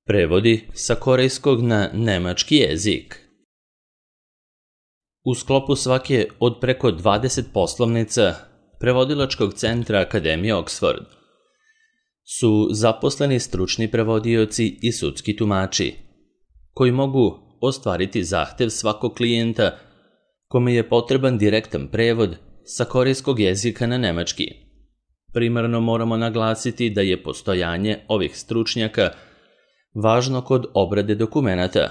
Prevodi sa korejskog na nemački jezik. U sklopu svake od preko 20 poslovnica Prevodilačkog centra Akademije Oxford su zaposleni stručni prevodioci i sudski tumači, koji mogu ostvariti zahtev svakog klijenta kome je potreban direktan prevod sa korejskog jezika na nemački. Primarno moramo naglasiti da je postojanje ovih stručnjaka važno kod obrade dokumenata,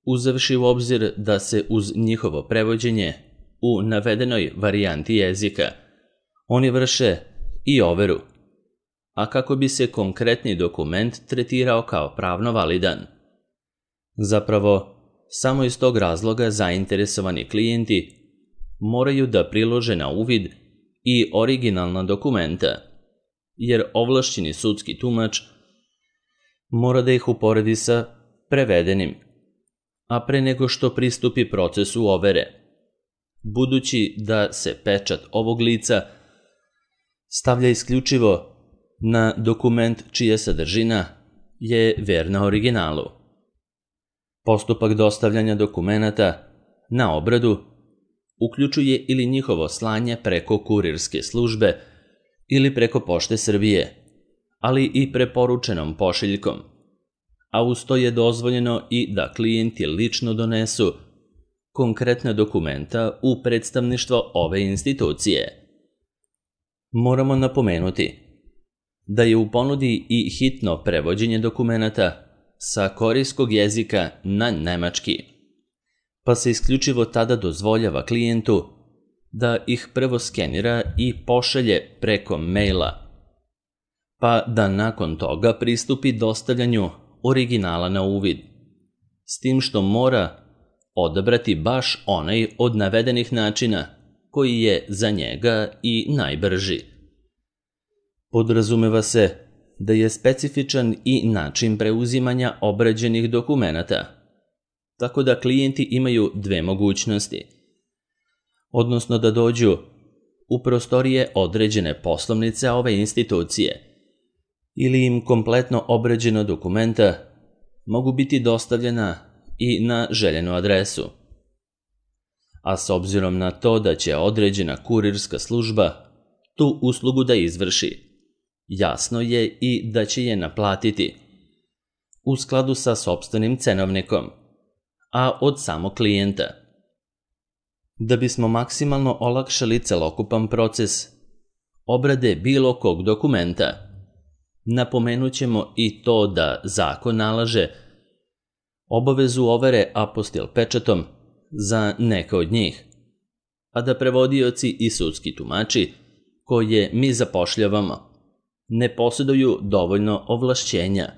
uzevši u obzir da se uz njihovo prevođenje u navedenoj varijanti jezika oni vrše i overu, a kako bi se konkretni dokument tretirao kao pravno validan. Zapravo, samo iz tog razloga zainteresovani klijenti moraju da prilože na uvid i originalna dokumenta, jer ovlašćeni sudski tumač mora da ih uporedi sa prevedenim, a pre nego što pristupi procesu overe, budući da se pečat ovog lica stavlja isključivo na dokument čija sadržina je verna originalu. Postupak dostavljanja dokumenata na obradu uključuje ili njihovo slanje preko kurirske službe ili preko Pošte Srbije, ali i preporučenom pošiljkom, a uz to je dozvoljeno i da klijenti lično donesu konkretna dokumenta u predstavništvo ove institucije. Moramo napomenuti da je u ponudi i hitno prevođenje dokumenata sa korejskog jezika na nemački, pa se isključivo tada dozvoljava klijentu da ih prvo skenira i pošalje preko maila, pa da nakon toga pristupi dostavljanju originala na uvid, s tim što mora odabrati baš onaj od navedenih načina koji je za njega i najbrži. Podrazumeva se da je specifičan i način preuzimanja obrađenih dokumenata, tako da klijenti imaju dve mogućnosti, odnosno da dođu u prostorije određene poslovnice ove institucije, ili im kompletno obrađena dokumenta mogu biti dostavljena i na željenu adresu. A s obzirom na to da će određena kurirska služba tu uslugu da izvrši, jasno je i da će je naplatiti u skladu sa sopstvenim cenovnikom, a od samog klijenta. Da bismo maksimalno olakšali celokupan proces obrade bilo kog dokumenta, napomenut ćemo i to da zakon nalaže obavezu overe apostil pečatom za neke od njih, a da prevodioci i sudski tumači koje mi zapošljavamo ne posjeduju dovoljno ovlašćenja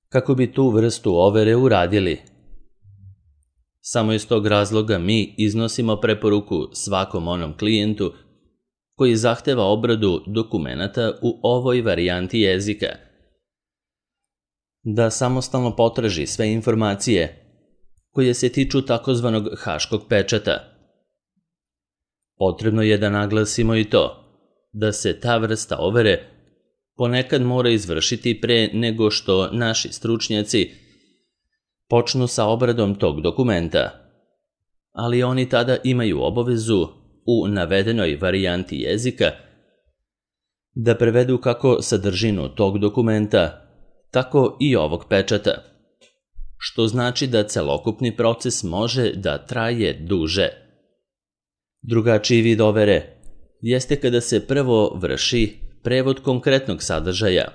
kako bi tu vrstu overe uradili. Samo iz tog razloga mi iznosimo preporuku svakom onom klijentu koji zahteva obradu dokumenata u ovoj varijanti jezika, da samostalno potraži sve informacije koje se tiču takozvanog haškog pečata. Potrebno je da naglasimo i to da se ta vrsta overe ponekad mora izvršiti pre nego što naši stručnjaci počnu sa obradom tog dokumenta, ali oni tada imaju obavezu u navedenoj varijanti jezika da prevedu kako sadržinu tog dokumenta, tako i ovog pečata, što znači da celokupni proces može da traje duže. Drugačiji vid overe jeste kada se prvo vrši prevod konkretnog sadržaja,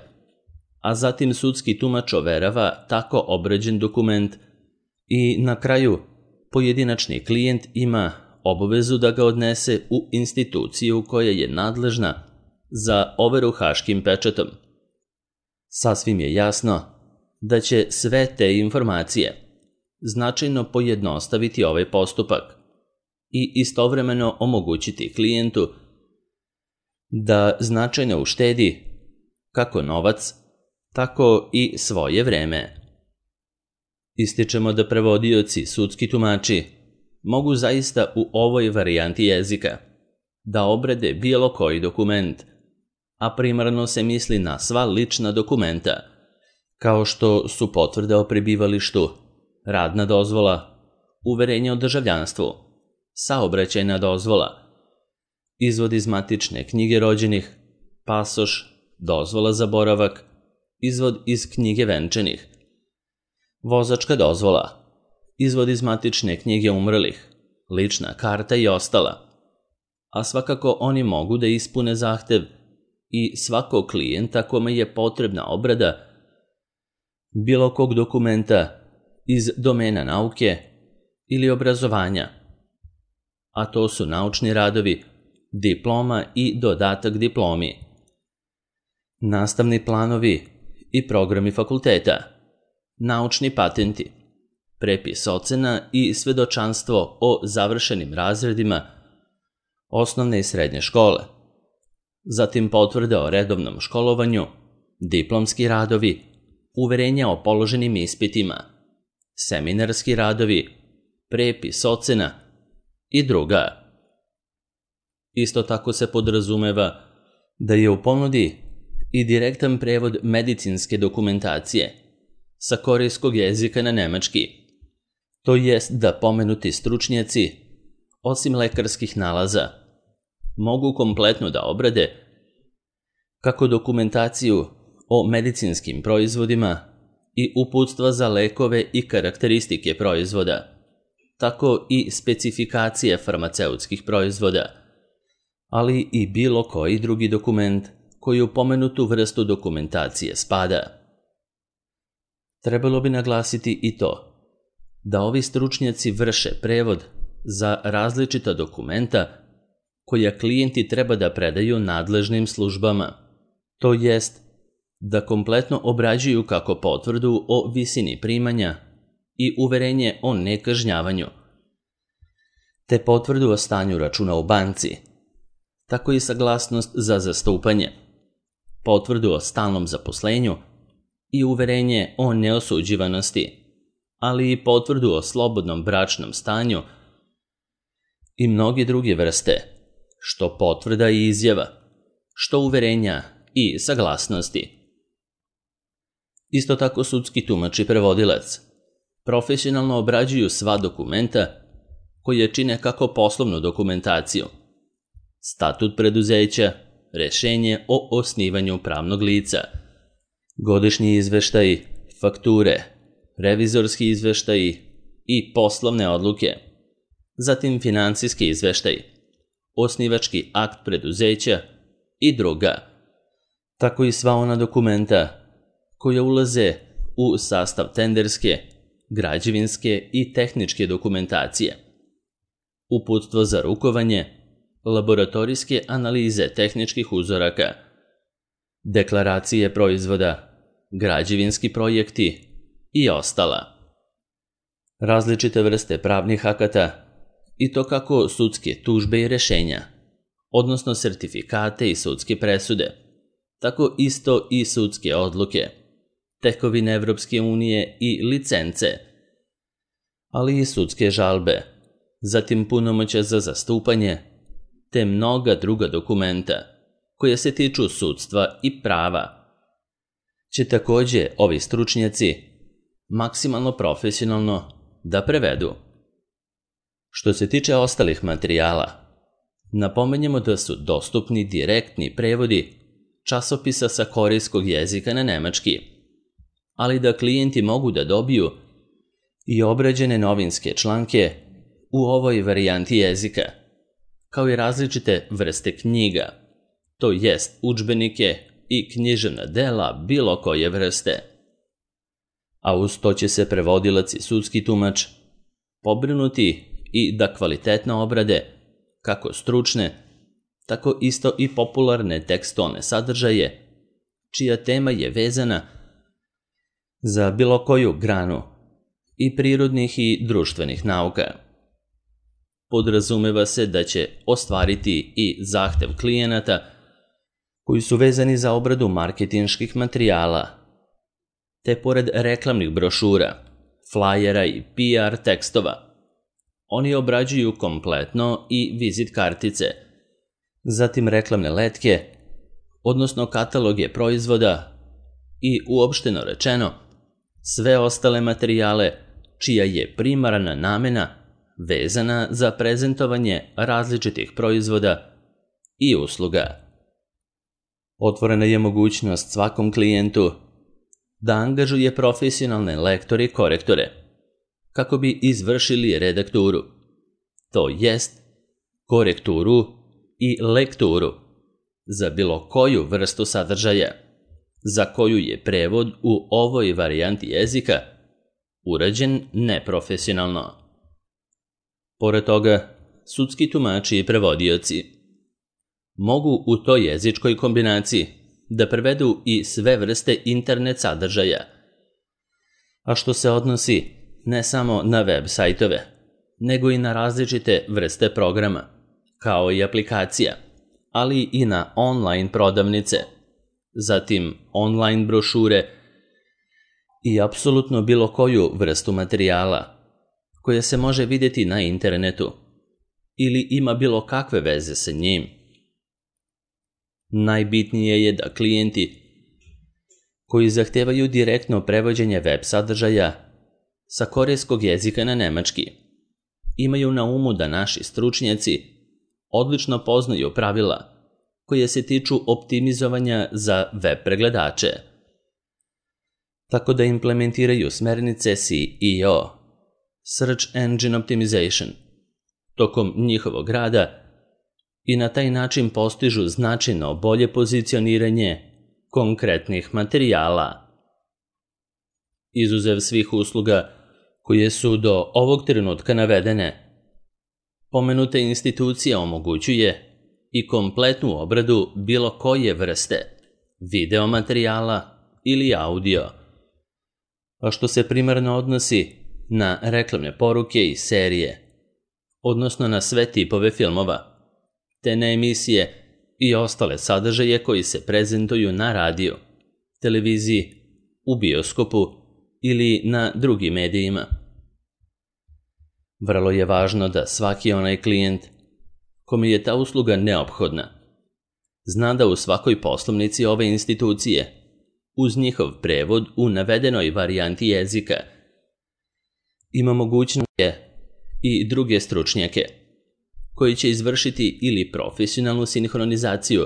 a zatim sudski tumač overava tako obrađen dokument i na kraju pojedinačni klijent ima obavezu da ga odnese u instituciju koja je nadležna za overu haškim pečatom. Sasvim je jasno da će sve te informacije značajno pojednostaviti ovaj postupak i istovremeno omogućiti klijentu da značajno uštedi kako novac, tako i svoje vreme. Ističemo da prevodioci, sudski tumači mogu zaista u ovoj varijanti jezika da obrade bilo koji dokument, a primarno se misli na sva lična dokumenta, kao što su potvrde o prebivalištu, radna dozvola, uverenje o državljanstvu, saobraćajna dozvola, izvod iz matične knjige rođenih, pasoš, dozvola za boravak, izvod iz knjige venčanih, vozačka dozvola, izvod iz matične knjige umrlih, lična karta i ostala. A svakako oni mogu da ispune zahtev i svakog klijenta kome je potrebna obrada bilo kog dokumenta iz domena nauke ili obrazovanja, a to su naučni radovi, diploma i dodatak diplomi, nastavni planovi i programi fakulteta, naučni patenti, prepis ocena i svedočanstvo o završenim razredima osnovne i srednje škole, zatim potvrde o redovnom školovanju, diplomski radovi, uverenja o položenim ispitima, seminarski radovi, prepis ocena i druga. Isto tako se podrazumeva da je u ponudi i direktan prevod medicinske dokumentacije sa korejskog jezika na nemački, to jest da pomenuti stručnjaci, osim lekarskih nalaza, mogu kompletno da obrade kako dokumentaciju o medicinskim proizvodima i uputstva za lekove i karakteristike proizvoda, tako i specifikacije farmaceutskih proizvoda, ali i bilo koji drugi dokument koji u pomenutu vrstu dokumentacije spada. Trebalo bi naglasiti i to da ovi stručnjaci vrše prevod za različita dokumenta koja klijenti treba da predaju nadležnim službama, to jest da kompletno obrađuju kako potvrdu o visini primanja i uverenje o nekažnjavanju, te potvrdu o stanju računa u banci, tako i saglasnost za zastupanje, potvrdu o stalnom zaposlenju i uverenje o neosuđivanosti, ali i potvrdu o slobodnom bračnom stanju i mnoge druge vrste, što potvrda i izjava, što uverenja i saglasnosti. Isto tako sudski tumač i prevodilac profesionalno obrađuju sva dokumenta koje čine kako poslovnu dokumentaciju, statut preduzeća, rešenje o osnivanju pravnog lica, godišnji izveštaji, fakture, revizorski izveštaji i poslovne odluke, zatim finansijski izveštaj, osnivački akt preduzeća i druga, tako i sva ona dokumenta koja ulaze u sastav tenderske, građevinske i tehničke dokumentacije, uputstvo za rukovanje, laboratorijske analize tehničkih uzoraka, deklaracije proizvoda, građevinski projekti i ostala. Različite vrste pravnih akata i to kako sudske tužbe i rešenja, odnosno sertifikate i sudske presude, tako isto i sudske odluke, tekovine Evropske unije i licence, ali i sudske žalbe, zatim punomoćja za zastupanje, te mnoga druga dokumenta koja se tiču sudstva i prava, će takođe ovi stručnjaci maksimalno profesionalno da prevedu. Što se tiče ostalih materijala, napomenjemo da su dostupni direktni prevodi časopisa sa korejskog jezika na nemački, ali da klijenti mogu da dobiju i obrađene novinske članke u ovoj varijanti jezika, kao i različite vrste knjiga, to jest udžbenike i književna dela bilo koje vrste. A uz to će se prevodilac i sudski tumač pobrinuti i da kvalitetno obrade kako stručne, tako isto i popularne tekstualne sadržaje, čija tema je vezana za bilo koju granu i prirodnih i društvenih nauka. Podrazumeva se da će ostvariti i zahtev klijenata koji su vezani za obradu marketinških materijala, te pored reklamnih brošura, flajera i PR tekstova, oni obrađuju kompletno i vizit kartice, zatim reklamne letke, odnosno kataloge proizvoda, i uopšteno rečeno sve ostale materijale čija je primarna namena vezana za prezentovanje različitih proizvoda i usluga. Otvorena je mogućnost svakom klijentu da angažuje profesionalne lektore i korektore kako bi izvršili redakturu, to jest korekturu i lekturu za bilo koju vrstu sadržaja za koju je prevod u ovoj varijanti jezika urađen neprofesionalno. Pored toga, sudski tumači i prevodioci mogu u toj jezičkoj kombinaciji da prevedu i sve vrste internet sadržaja, a što se odnosi ne samo na web sajtove, nego i na različite vrste programa, kao i aplikacija, ali i na online prodavnice, zatim online brošure i apsolutno bilo koju vrstu materijala koja se može vidjeti na internetu ili ima bilo kakve veze sa njim. Najbitnije je da klijenti koji zahtevaju direktno prevođenje web sadržaja sa korejskog jezika na nemački imaju na umu da naši stručnjaci odlično poznaju pravila koje se tiču optimizovanja za web pregledače, tako da implementiraju smernice SEO, Search Engine Optimization, tokom njihovog rada i na taj način postižu značajno bolje pozicioniranje konkretnih materijala. Izuzev svih usluga koje su do ovog trenutka navedene, pomenuta institucija omogućuje i kompletnu obradu bilo koje vrste video materijala ili audio, a što se primarno odnosi na reklamne poruke i serije, odnosno na sve tipove filmova, te na emisije i ostale sadržaje koji se prezentuju na radiju, televiziji, u bioskopu ili na drugim medijima. Vrlo je važno da svaki onaj klijent kome je ta usluga neophodna zna da u svakoj poslovnici ove institucije, uz njihov prevod u navedenoj varijanti jezika, ima mogućnosti i druge stručnjake koji će izvršiti ili profesionalnu sinhronizaciju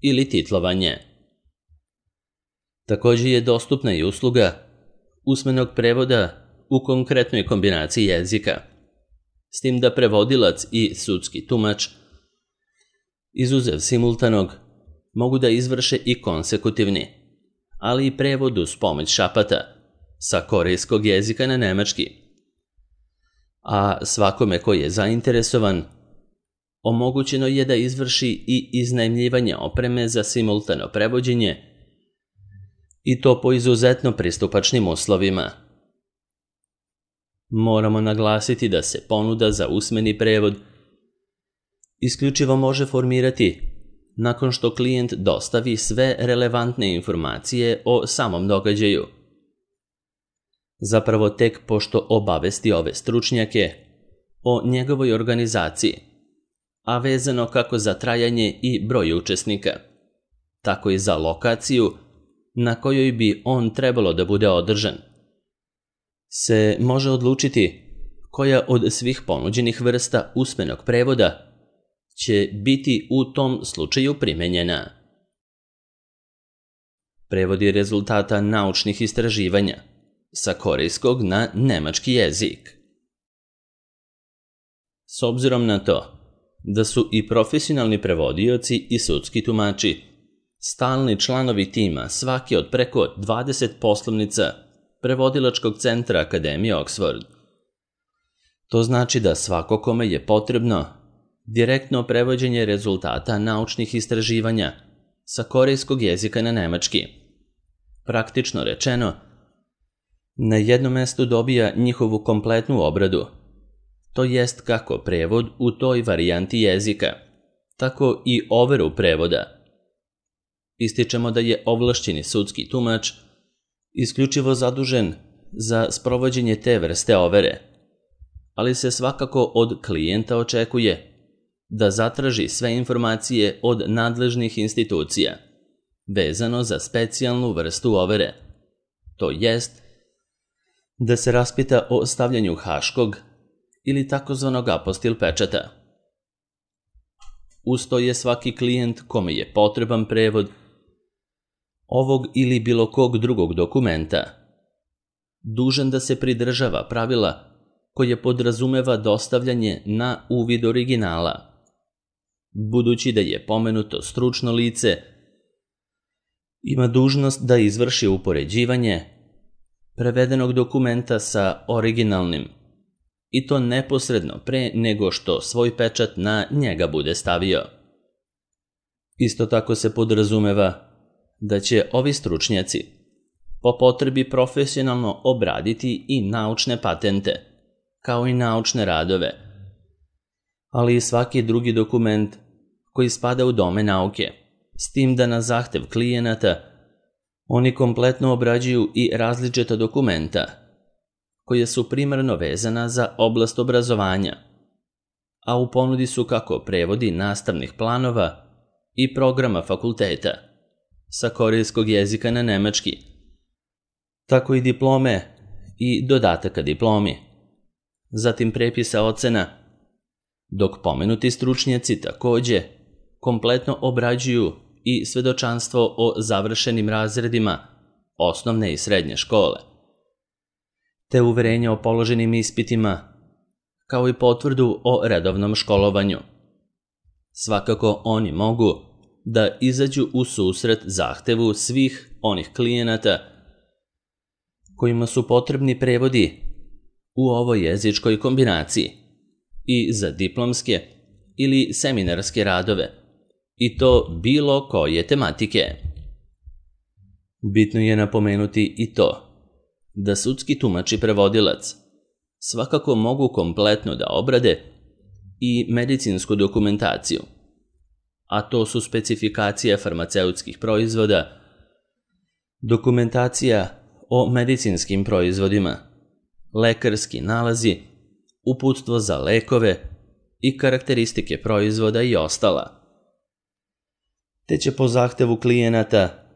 ili titlovanje. Također je dostupna i usluga usmenog prevoda u konkretnoj kombinaciji jezika, s tim da prevodilac i sudski tumač, izuzev simultanog, mogu da izvrše i konsekutivni, ali i prevod uz pomoć šapata sa korejskog jezika na nemački. A svakome koji je zainteresovan, omogućeno je da izvrši i iznajmljivanje opreme za simultano prevođenje i to po izuzetno pristupačnim uslovima. Moramo naglasiti da se ponuda za usmeni prevod isključivo može formirati nakon što klijent dostavi sve relevantne informacije o samom događaju. Zapravo tek pošto obavesti ove stručnjake o njegovoj organizaciji, a vezano kako za trajanje i broj učesnika, tako i za lokaciju na kojoj bi on trebalo da bude održan, se može odlučiti koja od svih ponuđenih vrsta usmenog prevoda će biti u tom slučaju primenjena. Prevodi rezultata naučnih istraživanja sa korejskog na nemački jezik. S obzirom na to da su i profesionalni prevodioci i sudski tumači stalni članovi tima svake od preko 20 poslovnica prevodilačkog centra Akademije Oxford, to znači da svako kome je potrebno direktno prevođenje rezultata naučnih istraživanja sa korejskog jezika na nemački, praktično rečeno, na jednom mestu dobija njihovu kompletnu obradu, to jest kako prevod u toj varijanti jezika, tako i overu prevoda. Ističemo da je ovlašćeni sudski tumač isključivo zadužen za sprovođenje te vrste overe, ali se svakako od klijenta očekuje da zatraži sve informacije od nadležnih institucija vezano za specijalnu vrstu overe, to jest da se raspita o stavljanju haškog ili takozvanog apostil pečata. Uz to je svaki klijent kome je potreban prevod ovog ili bilo kog drugog dokumenta dužan da se pridržava pravila koje podrazumeva dostavljanje na uvid originala, budući da je pomenuto stručno lice ima dužnost da izvrši upoređivanje prevedenog dokumenta sa originalnim, i to neposredno pre nego što svoj pečat na njega bude stavio. Isto tako se podrazumeva da će ovi stručnjaci po potrebi profesionalno obraditi i naučne patente, kao i naučne radove, ali i svaki drugi dokument koji spada u domen nauke, s tim da na zahtev klijenata oni kompletno obrađuju i različita dokumenta koja su primarno vezana za oblast obrazovanja, a u ponudi su kako prevodi nastavnih planova i programa fakulteta sa korejskog jezika na nemački, tako i diplome i dodataka diplomi, zatim prepisa ocena, dok pomenuti stručnjaci takođe kompletno obrađuju i svedočanstvo o završenim razredima osnovne i srednje škole, te uverenje o položenim ispitima, kao i potvrdu o redovnom školovanju. Svakako oni mogu da izađu u susret zahtevu svih onih klijenata kojima su potrebni prevodi u ovoj jezičkoj kombinaciji i za diplomske ili seminarske radove, i to bilo koje tematike. Bitno je napomenuti i to da sudski tumač i prevodilac svakako mogu kompletno da obrade i medicinsku dokumentaciju, a to su specifikacija farmaceutskih proizvoda, dokumentacija o medicinskim proizvodima, lekarski nalazi, uputstvo za lekove i karakteristike proizvoda i ostala. Te će po zahtevu klijenata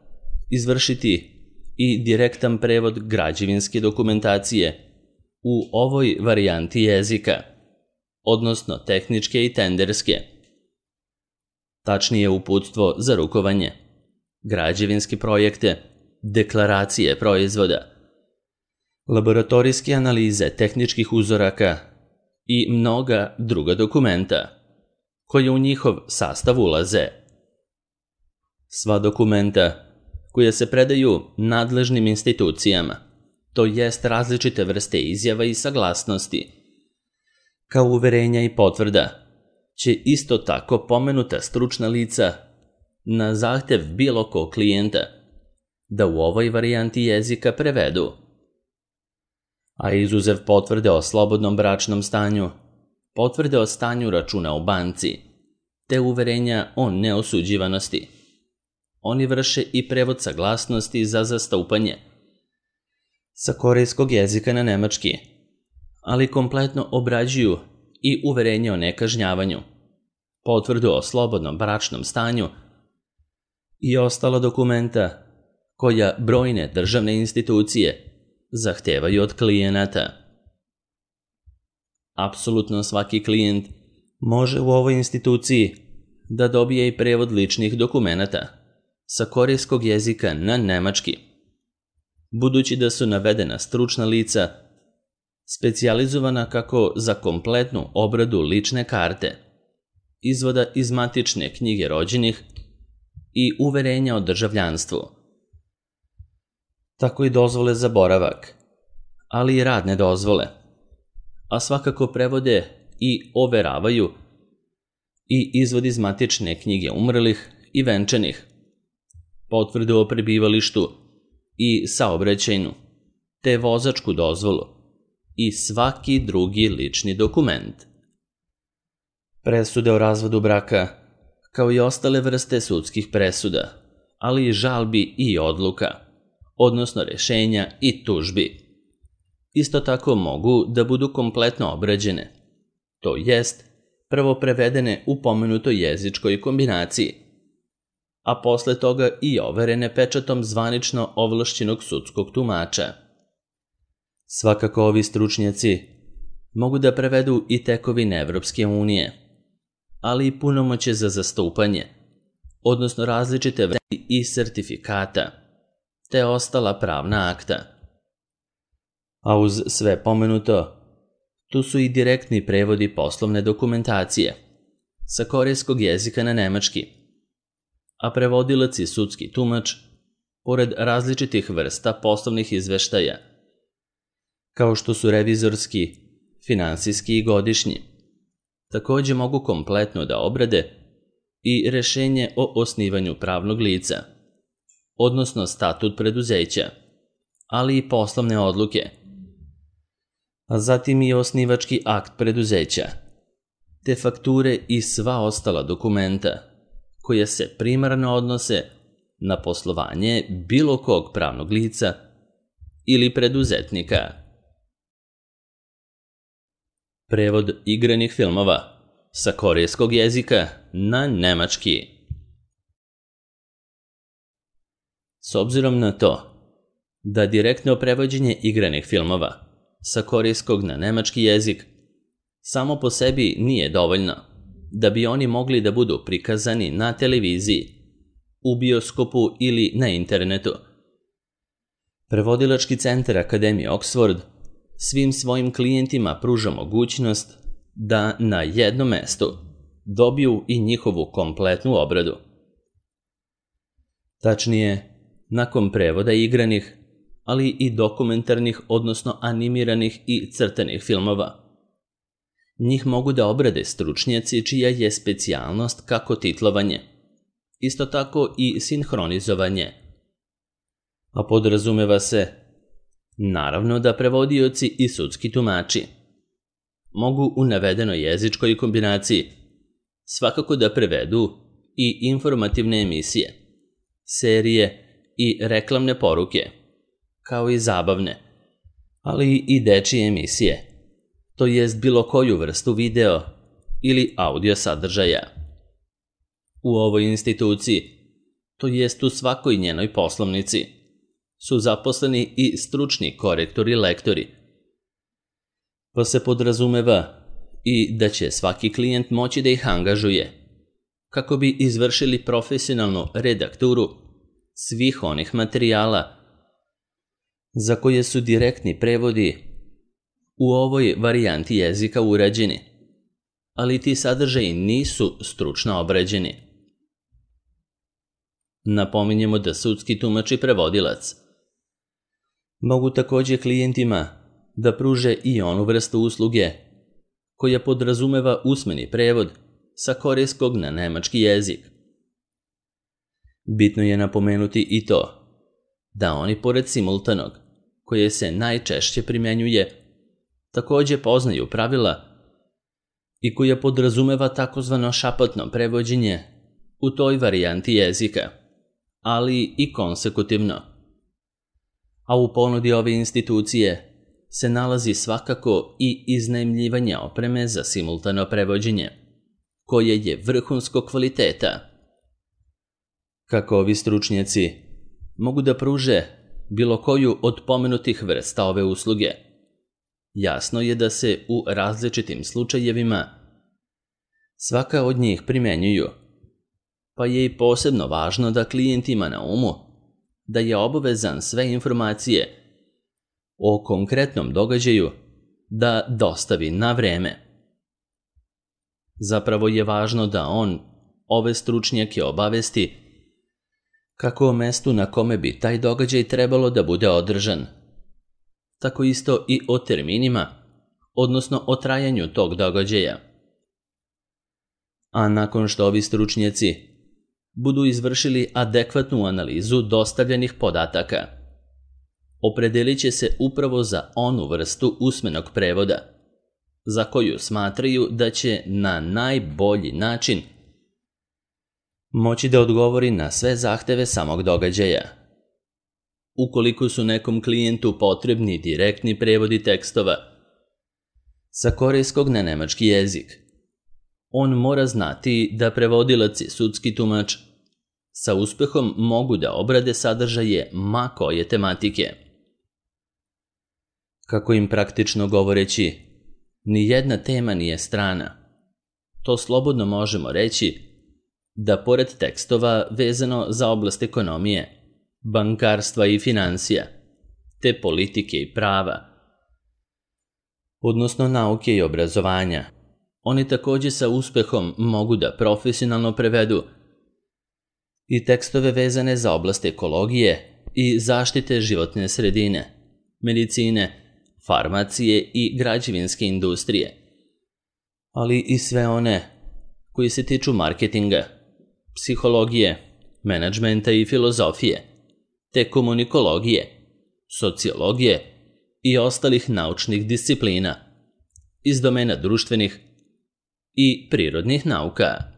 izvršiti i direktan prevod građevinske dokumentacije u ovoj varijanti jezika, odnosno tehničke i tenderske. Tačnije uputstvo za rukovanje, građevinske projekte, deklaracije proizvoda, laboratorijske analize tehničkih uzoraka i mnoga druga dokumenta koje u njihov sastav ulaze. Sva dokumenta koja se predaju nadležnim institucijama, to jest različite vrste izjava i saglasnosti, kao uverenja i potvrda, će isto tako pomenuta stručna lica na zahtev bilo kog klijenta da u ovoj varijanti jezika prevedu. A izuzev potvrde o slobodnom bračnom stanju, potvrde o stanju računa u banci, te uverenja o neosuđivanosti, oni vrše i prevod saglasnosti za zastupanje sa korejskog jezika na nemački, ali kompletno obrađuju i uverenje o nekažnjavanju, potvrdu o slobodnom bračnom stanju i ostala dokumenta koja brojne državne institucije zahtevaju od klijenata. Apsolutno svaki klijent može u ovoj instituciji da dobije i prevod ličnih dokumenata sa korejskog jezika na nemački, budući da su navedena stručna lica specijalizovana kako za kompletnu obradu lične karte, izvoda iz matične knjige rođenih i uverenja o državljanstvu, tako i dozvole za boravak, ali i radne dozvole, a svakako prevode i overavaju i izvod iz matične knjige umrlih i venčanih, potvrdu o prebivalištu i saobraćajnu, te vozačku dozvolu i svaki drugi lični dokument. Presude o razvodu braka, kao i ostale vrste sudskih presuda, ali i žalbi i odluka, odnosno rešenja i tužbi, isto tako mogu da budu kompletno obrađene, to jest prvo prevedene u pomenutoj jezičkoj kombinaciji, a posle toga i overene pečatom zvanično ovlašćenog sudskog tumača. Svakako ovi stručnjaci mogu da prevedu i tekovine Evropske unije, ali i punomoćje za zastupanje, odnosno različite vrste i sertifikata, te ostala pravna akta. A uz sve pomenuto, tu su i direktni prevodi poslovne dokumentacije sa korejskog jezika na nemački, a prevodilac i sudski tumač, pored različitih vrsta poslovnih izveštaja, kao što su revizorski, finansijski i godišnji, takođe mogu kompletno da obrade i rešenje o osnivanju pravnog lica, odnosno statut preduzeća, ali i poslovne odluke, a zatim i osnivački akt preduzeća, te fakture i sva ostala dokumenta koja se primarno odnose na poslovanje bilo kog pravnog lica ili preduzetnika. Prevod igranih filmova sa korejskog jezika na nemački. S obzirom na to da direktno prevođenje igranih filmova sa korejskog na nemački jezik samo po sebi nije dovoljno da bi oni mogli da budu prikazani na televiziji, u bioskopu ili na internetu. Prevodilački centar Akademije Oxford svim svojim klijentima pruža mogućnost da na jednom mestu dobiju i njihovu kompletnu obradu. Tačnije, nakon prevoda igranih, ali i dokumentarnih, odnosno animiranih i crtanih filmova, njih mogu da obrade stručnjaci čija je specijalnost kako titlovanje, isto tako i sinhronizovanje. A podrazumeva se, naravno, da prevodioci i sudski tumači mogu u navedenoj jezičkoj kombinaciji svakako da prevedu i informativne emisije, serije i reklamne poruke, kao i zabavne, ali i dečije emisije, to jest bilo koju vrstu video ili audio sadržaja. U ovoj instituciji, to jest u svakoj njenoj poslovnici, su zaposleni i stručni korektori i lektori, pa se podrazumeva i da će svaki klijent moći da ih angažuje kako bi izvršili profesionalnu redakturu svih onih materijala za koje su direktni prevodi u ovoj varijanti jezika urađeni, ali ti sadržaji nisu stručno obrađeni. Napominjemo da sudski tumač i prevodilac mogu takođe klijentima da pruže i onu vrstu usluge koja podrazumeva usmeni prevod sa korejskog na nemački jezik. Bitno je napomenuti i to da oni pored simultanog, koje se najčešće primenjuje, takođe poznaju pravila i koja podrazumeva takozvano šapatno prevođenje u toj varijanti jezika, ali i konsekutivno. A u ponudi ove institucije se nalazi svakako i iznajmljivanje opreme za simultano prevođenje, koje je vrhunskog kvaliteta. Kako ovi stručnjaci mogu da pruže bilo koju od pomenutih vrsta ove usluge, jasno je da se u različitim slučajevima svaka od njih primenjuju, pa je i posebno važno da klijent ima na umu da je obavezan sve informacije o konkretnom događaju da dostavi na vreme. Zapravo je važno da on ove stručnjake obavesti kako o mestu na kome bi taj događaj trebalo da bude održan, tako isto i o terminima, odnosno o trajanju tog događaja. A nakon što ovi stručnjaci budu izvršili adekvatnu analizu dostavljenih podataka, opredelit će se upravo za onu vrstu usmenog prevoda, za koju smatraju da će na najbolji način moći da odgovori na sve zahteve samog događaja. Ukoliko su nekom klijentu potrebni direktni prevodi tekstova sa korejskog na nemački jezik, on mora znati da prevodilac i sudski tumač sa uspehom mogu da obrade sadržaje ma koje tematike. Kako im praktično govoreći, ni jedna tema nije strana. To slobodno možemo reći da pored tekstova vezano za oblast ekonomije, bankarstva i financija, te politike i prava, odnosno nauke i obrazovanja, oni također sa uspehom mogu da profesionalno prevedu i tekstove vezane za oblast ekologije i zaštite životne sredine, medicine, farmacije i građevinske industrije, ali i sve one koji se tiču marketinga, psihologije, menadžmenta i filozofije, te komunikologije, sociologije i ostalih naučnih disciplina iz domena društvenih i prirodnih nauka.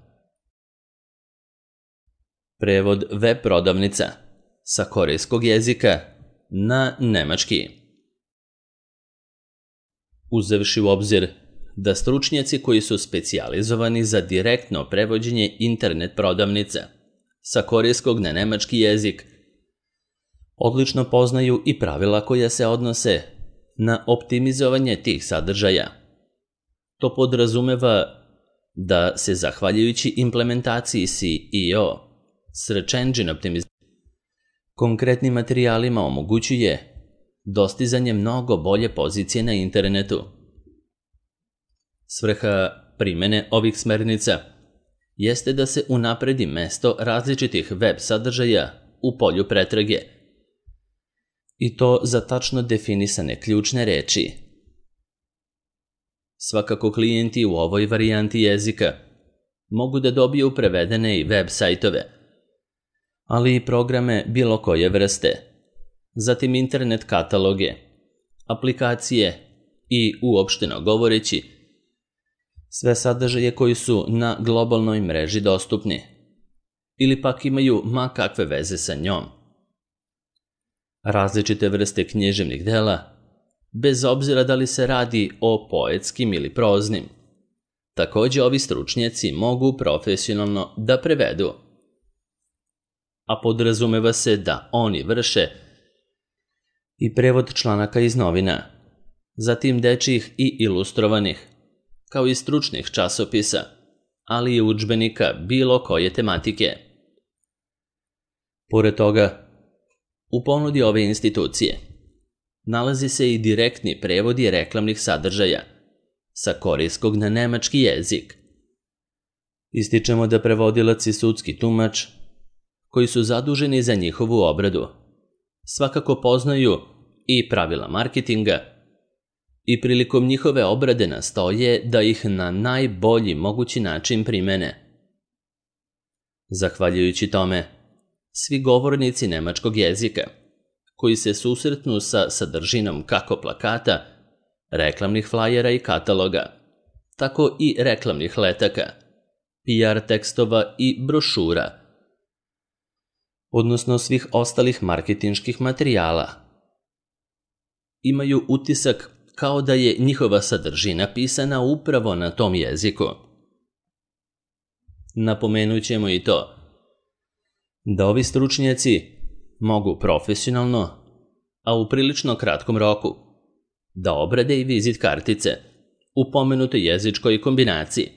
Prevod web prodavnica sa korejskog jezika na nemački. Uzevši u obzir da stručnjaci koji su specijalizovani za direktno prevođenje internet prodavnica sa korejskog na nemački jezik odlično poznaju i pravila koja se odnose na optimizovanje tih sadržaja. To podrazumeva da se zahvaljujući implementaciji SEO, Search Engine Optimization, konkretnim materijalima omogućuje dostizanje mnogo bolje pozicije na internetu. Svrha primene ovih smernica jeste da se unapredi mesto različitih web sadržaja u polju pretrage, i to za tačno definisane ključne reči. Svakako klijenti u ovoj varijanti jezika mogu da dobiju prevedene i web sajtove, ali i programe bilo koje vrste, zatim internet kataloge, aplikacije i, uopšteno govoreći, sve sadržaje koji su na globalnoj mreži dostupni ili pak imaju ma kakve veze sa njom. Različite vrste književnih dela, bez obzira da li se radi o poetskim ili proznim, također ovi stručnjaci mogu profesionalno da prevedu, a podrazumeva se da oni vrše i prevod članaka iz novina, zatim dečjih i ilustrovanih, kao i stručnih časopisa, ali i udžbenika bilo koje tematike. Pored toga, u ponudi ove institucije nalazi se i direktni prevodi reklamnih sadržaja sa korejskog na nemački jezik. Ističemo da prevodilac i sudski tumač, koji su zaduženi za njihovu obradu, svakako poznaju i pravila marketinga i prilikom njihove obrade nastoje da ih na najbolji mogući način primene. Zahvaljujući tome, svi govornici nemačkog jezika koji se susretnu sa sadržinom kako plakata, reklamnih flajera i kataloga, tako i reklamnih letaka, PR tekstova i brošura, odnosno svih ostalih marketinških materijala, imaju utisak kao da je njihova sadržina pisana upravo na tom jeziku. Napomenut ćemo i to da ovi stručnjaci mogu profesionalno, a u prilično kratkom roku, da obrade i vizit kartice u pomenutoj jezičkoj kombinaciji,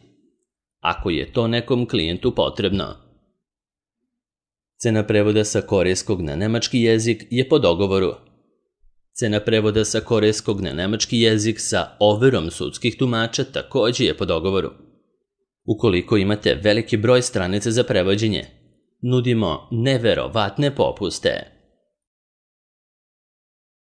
ako je to nekom klijentu potrebno. Cena prevoda sa korejskog na nemački jezik je po dogovoru. Cena prevoda sa korejskog na nemački jezik sa overom sudskih tumača također je po dogovoru. Ukoliko imate veliki broj stranica za prevođenje, nudimo neverovatne popuste.